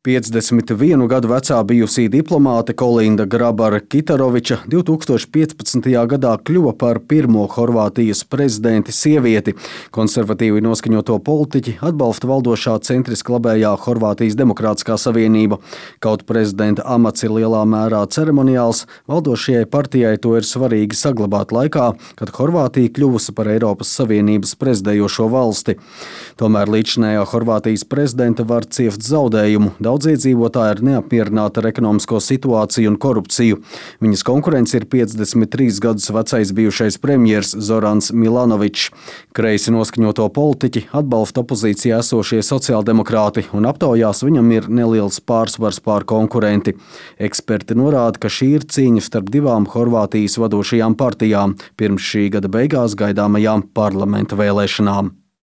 51 gadu vecā bijusī diplomāte Kolinda Grabara-Kitaroviča 2015. gadā kļuva par pirmo Horvātijas prezidenti sievieti. Konservatīvi noskaņoto politiķi atbalsta valdošā centriski labējā Horvātijas Demokrātiskā savienība. Kaut prezidenta amats ir lielā mērā ceremoniāls, valdošajai partijai to ir svarīgi saglabāt laikā, kad Horvātija kļuvusi par Eiropas Savienības prezidējošo valsti. Tomēr līdzinējā Horvātijas prezidenta var ciest zaudējumu. Daudz iedzīvotāji ir neapmierināti ar ekonomisko situāciju un korupciju. Viņas konkurents ir 53 gadus vecais bijušais premjers Zorans Milanovičs. Kreisi noskaņoto politiķi atbalsta opozīcijā esošie sociāldemokrāti un aptaujās viņam ir neliels pārsvars pār konkurenti. Eksperti norāda, ka šī ir cīņa starp divām Horvātijas vadošajām partijām pirms šī gada beigās gaidāmajām parlamenta vēlēšanām.